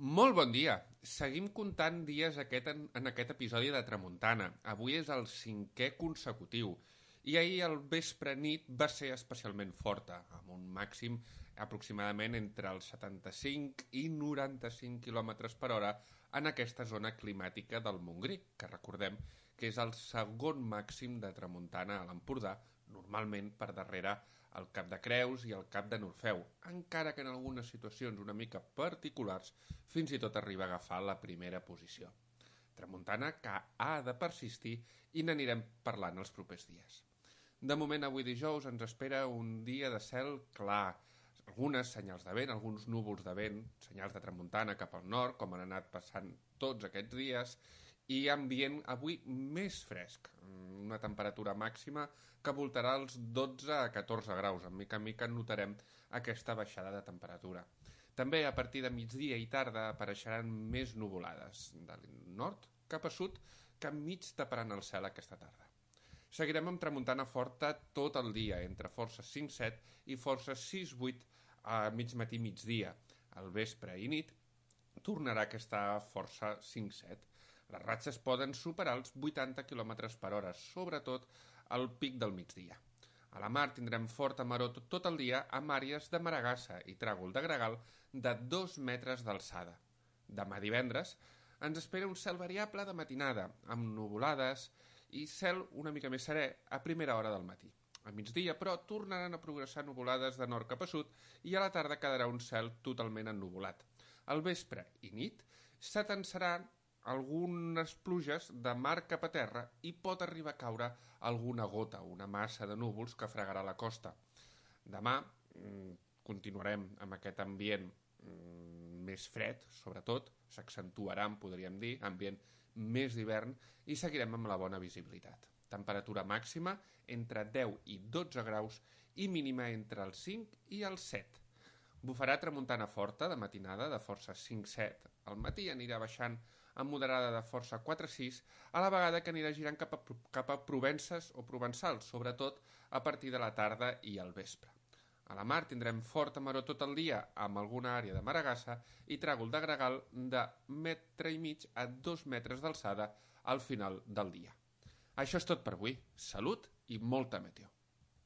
Molt bon dia! Seguim comptant dies en aquest episodi de Tramuntana. Avui és el 5è consecutiu. I ahir el vespre nit va ser especialment forta, amb un màxim aproximadament entre els 75 i 95 km per hora en aquesta zona climàtica del Montgrí, que recordem que és el segon màxim de tramuntana a l'Empordà, normalment per darrere el Cap de Creus i el Cap de Norfeu, encara que en algunes situacions una mica particulars fins i tot arriba a agafar la primera posició. Tramuntana que ha de persistir i n'anirem parlant els propers dies. De moment, avui dijous, ens espera un dia de cel clar, algunes senyals de vent, alguns núvols de vent, senyals de tramuntana cap al nord, com han anat passant tots aquests dies, i ambient avui més fresc, una temperatura màxima que voltarà els 12 a 14 graus. En mica notarem aquesta baixada de temperatura. També a partir de migdia i tarda apareixeran més nuvolades, del nord cap a sud, que mig taparan el cel aquesta tarda. Seguirem amb tramuntana forta tot el dia, entre forces 5-7 i forces 6-8 a mig matí migdia. Al vespre i nit tornarà aquesta força 5-7. Les ratxes poden superar els 80 km per hora, sobretot al pic del migdia. A la mar tindrem forta maror tot el dia amb àrees de maragassa i tràgol de gregal de 2 metres d'alçada. Demà divendres ens espera un cel variable de matinada, amb nuvolades i cel una mica més serè a primera hora del matí. A migdia, però, tornaran a progressar nuvolades de nord cap a sud i a la tarda quedarà un cel totalment ennuvolat. Al vespre i nit s'atensaran algunes pluges de mar cap a terra i pot arribar a caure alguna gota, una massa de núvols que fregarà la costa. Demà continuarem amb aquest ambient més fred, sobretot, s'accentuarà, podríem dir, ambient més d'hivern i seguirem amb la bona visibilitat. Temperatura màxima entre 10 i 12 graus i mínima entre els 5 i els 7. Bufarà tramuntana forta de matinada de força 5-7. Al matí anirà baixant amb moderada de força 4-6, a la vegada que anirà girant cap a Provences o Provençals, sobretot a partir de la tarda i al vespre. A la mar tindrem forta maror tot el dia amb alguna àrea de maragassa i tràgol de gregal de 1,5 metres a 2 metres d'alçada al final del dia. Això és tot per avui. Salut i molta meteo.